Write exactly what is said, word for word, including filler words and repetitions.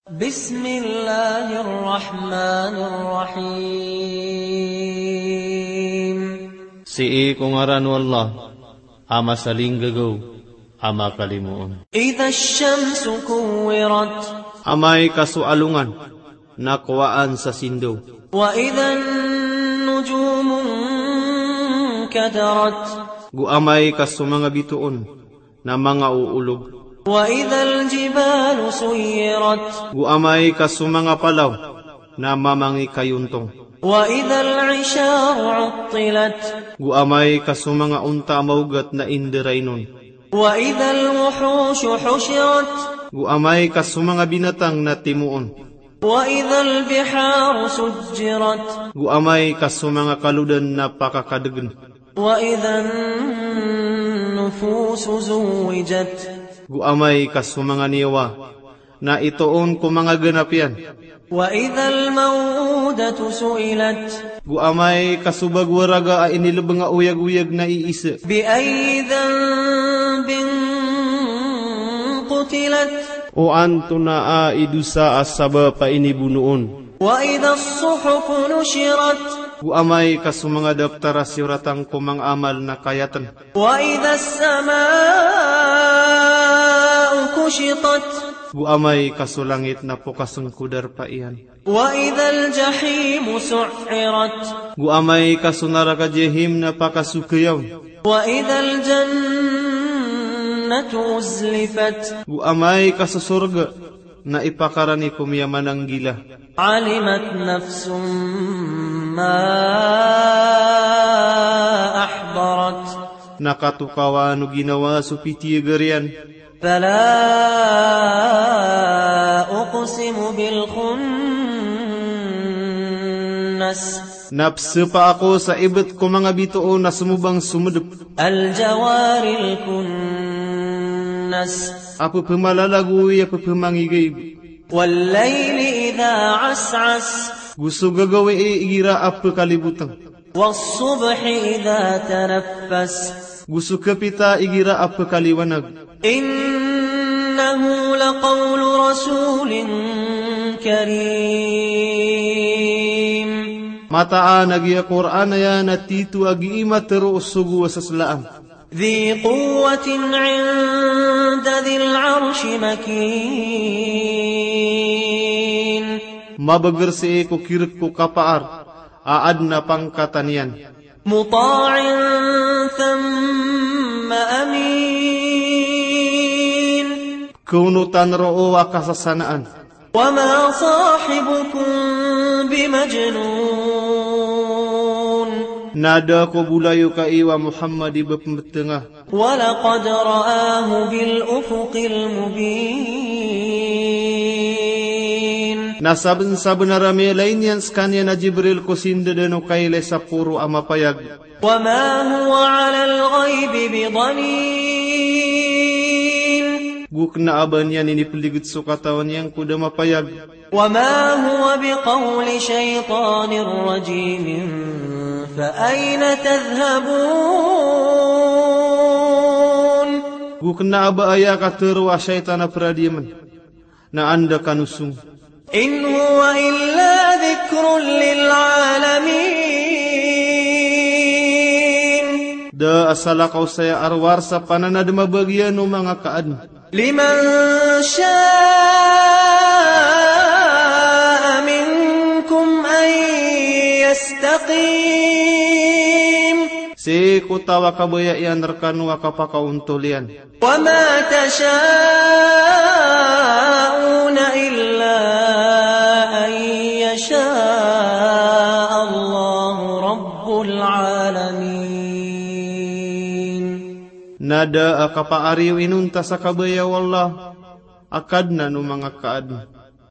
Bismillahir Rahmanir Rahim. Sii ko ngaran o Allah, a masalinggagaw, a makalimoon. Idhash shamsu kuwwirat. Amay ka so alongan na kowaan sa sindaw. Wa idhan nujumun kadarat. Go amay ka so manga bitoon na manga oolog. Wa idhal jibalu suyirat. Go amay ka so manga palaw na mamangikayontong. Wa idhal isharu uttilat. Go amay ka so manga onta a maogat na inderainon. Wa idhal wuhushu hushirat. Go amay ka so manga binatang na timoon. Wa idhal biharu sujjirat. Go amay ka so manga kalodan na pakakadegen. Wa idhan nufusu zuwwijat. Go amay ka so manga niyawa na itoon ko manga ganap iyan. Wa idhal maw'udatu su'ilat. Go amay ka so bago a raga a inilebeng a oyag-oyag na iisa. Bi ayyi dhanbin qutilat. O antonaa i dosa a sabap a inibonoon. Wa idhas suhufu nushirat. Go amay ka so manga daptar a siyoratan ko manga amal na kayaten. Wa idhas sama'u kushitat. Go amay ka so langit na pokasen ko darpa iyan. Wa idhal jahimu su'irat. Go amay ka so naraka Jahim na pakasokeyaon. Wa idhal jannatu uzlifat. Go amay ka so sorga na ipakarani ko miyamanan gila. Alimat nafsum ma ahdarat. Na katokawan o ginawa so pitiyagar iyan. Fala uqsimu bil khunnas. Na pesepa ako sa ibet ko manga bitoon a semobang somedep. Al jawaril kunnas. A pepemalalagoy a pepemangigayb. Wal layli idha as'as. Go so gagawii igira a pekaliboteng. Was subhi idha tanaffas. Go so kapita igira a pekaliwanag. Innahu laqawlu rasulin karim. Mataan a giya Qur'an aya na tito a gii matero o sogo a seslaan. Dhi quwwatin 'inda dhil 'arshi makin. Mabeger sii ko kirek ko kapaar a aden a pangkatan iyan. Muta'in thamma amin. Keonotan roo a kasasanaan. Wa ma sahibukum bimajnun. Na da ko bolayoka iyo a Muhammad i ba pembetenga. Wa laqad ra'ahu bil ufuqil mubin. Na sabensabenar a miyalay niyan sekaniyan a Jibril ko sindadan o kailay sa poro a mapayag. Wa ma huwa 'alal ghaybi bidhanin. Go kena a ba niyan inipeliged so katawan iyan ko da mapayag. Wa ma huwa biqawli shaytanir rajim. Fa ayna tadhhabun. Go kena a ba aya katero a shaytan a peradiyamen. Na anda kano song. In huwa illa dhikrun lil 'alamin. Da a salakaw saya a rowar sa pananadem a bagiyan o manga kaaden. Liman sha'a minkum an yastaqim. Sii ko taw a kabaya iyan rekano a kapakaontol iyan. Wa ma tasha'una illa an yasha'allahu rabbul 'alamin. Na da a kapaari o inonta sa kabaya o Allah a Kadnan o manga kaaden.